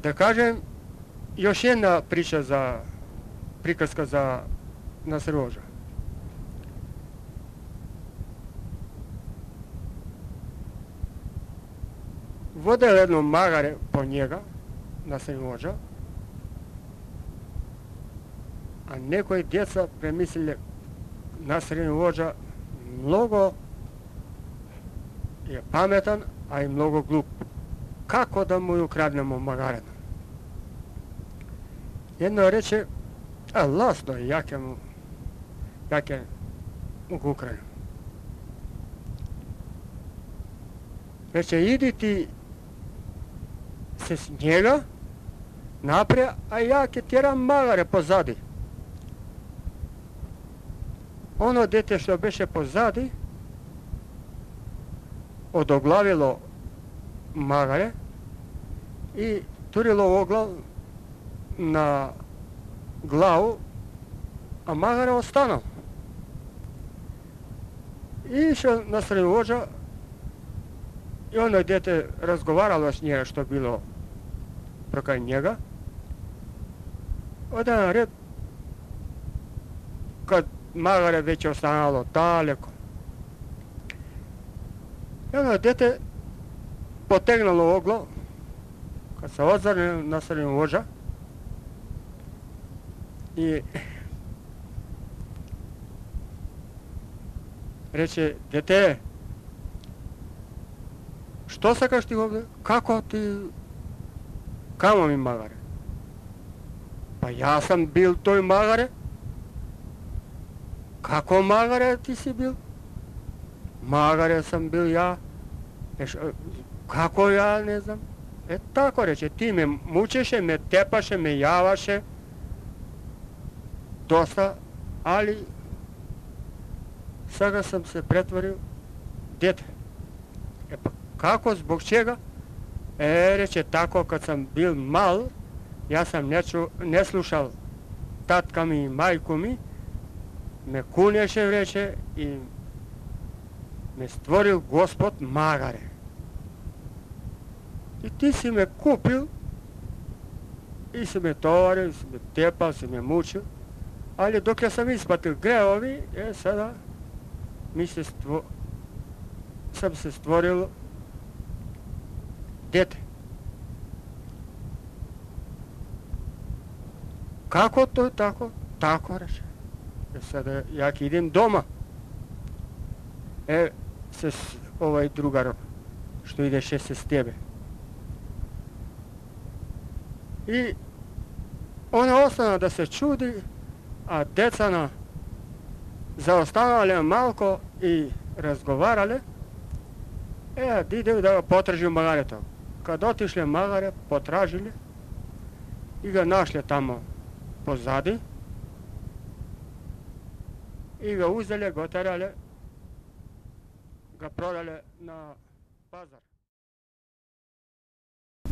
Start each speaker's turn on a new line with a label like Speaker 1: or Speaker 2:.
Speaker 1: Da kažem, još jedna priča prikaska za Nasrivodža. Vodili jedno magare po njega, Nasrivodža, a nekoji djeca premislili Nasrivodža mnogo je pametan, a i mnogo glup. Kako da mu ukradnemo magarena? Jedno reče, a lasno je, jake mu ukraju. Reče, idi ti se s njega naprijed, a ja ke tjeram magare pozadi. Ono dete što beše pozadi odoglavilo magare i turilo oglav na glavu, a magare ostanu. I išao Nasrivodža i ono dete razgovaralo s njega što je bilo prokaj njega. Odan red, kad magare već ostanalo daleko. I ono dete potegnulo oglav, kad se ozrne Nasrivodža i reče, dete, što sakaš ti ovdje? Kako ti? Kamo mi magare? Pa ja sam bil toj magare. Kako magare ti si bil? Magare sam bil ja. Kako ja, ne znam. Tako reče, ti me mučeše, me tepaše, me javaše. Dosta, ali sada sam se pretvorio dete. Pa kako, zbog čega? Reče, tako kad sam bil mal, ja sam ne slušal tatka mi i majku mi, me kuneše, reče, i me stvoril Gospod magare. I ti si me kupil i si me tovario, si me tepal, si me mučil, ali dok ja sam isplatil greovi, sada sam se stvoril dete. Kako to je tako? Tako reče. Sada jak idem doma. Se ovaj drugar što ideše se s tebe. I ona ostana da se čudi, a decana zaostanale malko i razgovarale, ide da ga potraži magare to. Kad otišle magare, potražili i ga našli tamo pozadi i ga uzeli, ga oterali, ga prodali na pazar.